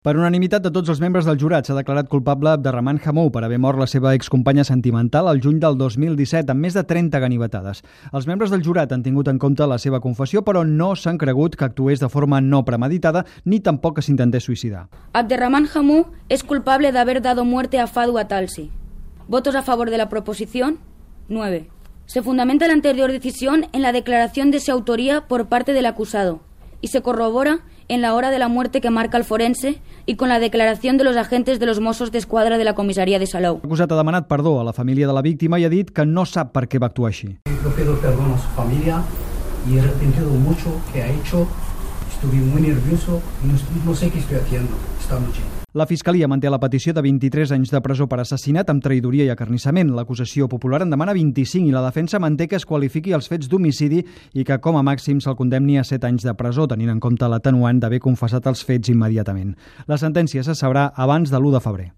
Per unanimitat de tots els membres del jurat s'ha declarat culpable Abderrahman Hamou per haver mort la seva excompanya sentimental al juny del 2017 amb més de 30 ganivetades. Els membres del jurat han tingut en compte la seva confessió, però no s'han cregut que actués de forma no premeditada ni tampoc que s'intentés suïcidar. Abderrahman Hamou es culpable de haber dado muerte a Fadou Atalsi. ¿Votos a favor de la proposición? 9. Se fundamenta la anterior decisión en la declaración de su autoría por parte del acusado y se corrobora en la hora de la muerte que marca el forense y con la declaración de los agentes de los Mossos d'Esquadra de la comisaría de Salou. L'acusat ha demanat perdó a la família de la víctima i ha dit que no sap per què va actuar així. Yo pido perdón a su familia y he arrepentido mucho que ha hecho. Estuve muy nervioso y no sé qué estoy haciendo esta noche. La Fiscalia manté la petició de 23 anys de presó per assassinat amb traïdoria i acarnissament. L'acusació popular en demana 25 i la defensa manté que es qualifiqui els fets d'homicidi i que com a màxim se'l condemni a 7 anys de presó, tenint en compte l'atenuant d'haver confessat els fets immediatament. La sentència se sabrà abans de l'1 de febrer.